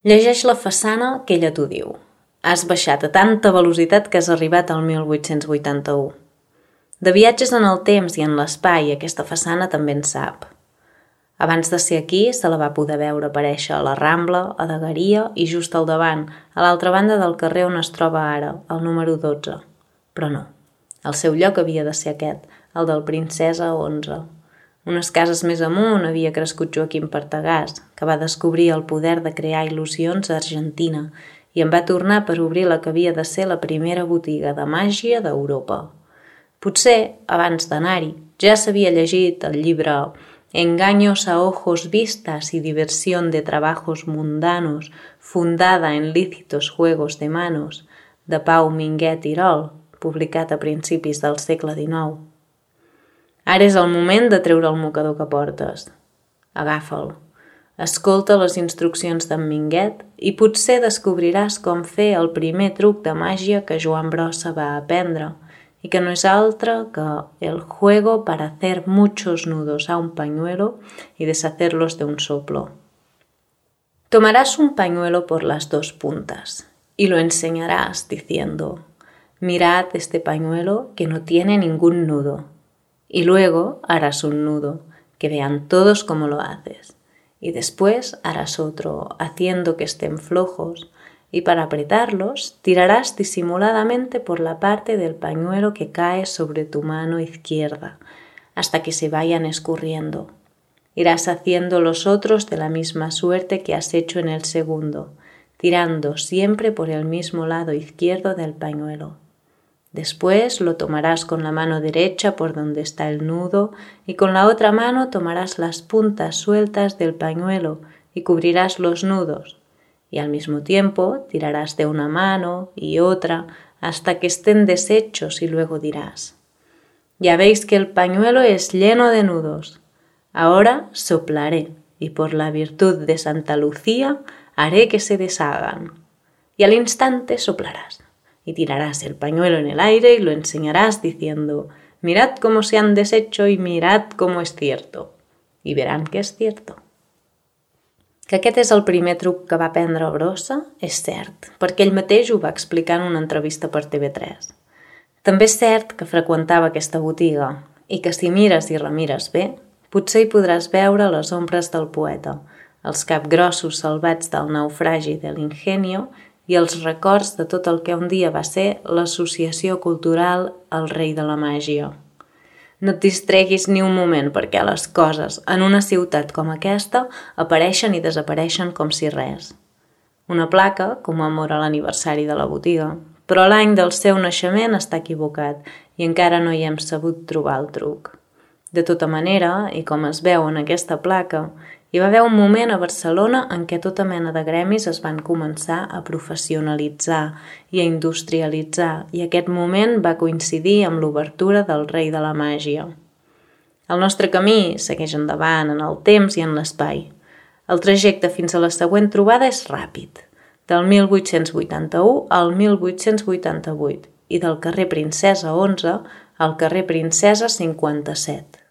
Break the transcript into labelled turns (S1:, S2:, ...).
S1: Llegeix la façana que ella t'ho diu. Has baixat a tanta velocitat que has arribat al 1881. De viatges en el temps i en l'espai, aquesta façana també en sap. Abans de ser aquí, se la va poder veure aparèixer a la Rambla, a Dagueria i just al davant, a l'altra banda del carrer on es troba ara, el número 12. Però no, el seu lloc havia de ser aquest, el del Princesa 11. Unes cases més amunt havia crescut Joaquim Partagàs, que va descobrir el poder de crear il·lusions a Argentina i en va tornar per obrir la que havia de ser la primera botiga de màgia d'Europa. Potser, abans d'anar-hi, ja s'havia llegit el llibre Engaños a ojos vistas y diversión de trabajos mundanos fundada en lícitos juegos de manos de Pau Minguet Irol, publicat a principis del segle XIX. Ara és el moment de treure el mocador que portes. Agafa'l. Escolta les instruccions d'en Minguet i potser descobriràs com fer el primer truc de màgia que Joan Brossa va aprendre y que no es altre que el juego para hacer muchos nudos a un pañuelo y deshacerlos de un soplo. Tomarás un pañuelo por las dos puntas y lo enseñarás diciendo: mirad este pañuelo que no tiene ningún nudo. Y luego harás un nudo, que vean todos cómo lo haces. Y después harás otro, haciendo que estén flojos, y para apretarlos tirarás disimuladamente por la parte del pañuelo que cae sobre tu mano izquierda, hasta que se vayan escurriendo. Irás haciendo los otros de la misma suerte que has hecho en el segundo, tirando siempre por el mismo lado izquierdo del pañuelo. Después lo tomarás con la mano derecha por donde está el nudo y con la otra mano tomarás las puntas sueltas del pañuelo y cubrirás los nudos. Y al mismo tiempo tirarás de una mano y otra hasta que estén deshechos y luego dirás: ya veis que el pañuelo es lleno de nudos. Ahora soplaré y por la virtud de Santa Lucía haré que se deshagan. Y al instante soplarás y tirarás el pañuelo en el aire y lo enseñarás diciendo: mirad cómo se han deshecho y mirad cómo es cierto. Y verán que es cierto. Que aquest és el primer truc que va aprendre Brossa és cert, perquè ell mateix ho va explicar en una entrevista per TV3. També és cert que freqüentava aquesta botiga i que si mires i remires bé, potser hi podràs veure les ombres del poeta, els capgrossos salvats del naufragi de l'Ingenio i els records de tot el que un dia va ser l'associació cultural El Rei de la Màgia. No et distreguis ni un moment perquè les coses en una ciutat com aquesta apareixen i desapareixen com si res. Una placa commemora l'aniversari de la botiga, però l'any del seu naixement està equivocat i encara no hi hem sabut trobar el truc. De tota manera, i com es veu en aquesta placa, hi va haver un moment a Barcelona en què tota mena de gremis es van començar a professionalitzar i a industrialitzar, i aquest moment va coincidir amb l'obertura del Rei de la Màgia. El nostre camí segueix endavant en el temps i en l'espai. El trajecte fins a la següent trobada és ràpid, del 1881 al 1888 i del carrer Princesa 11 al carrer Princesa 57.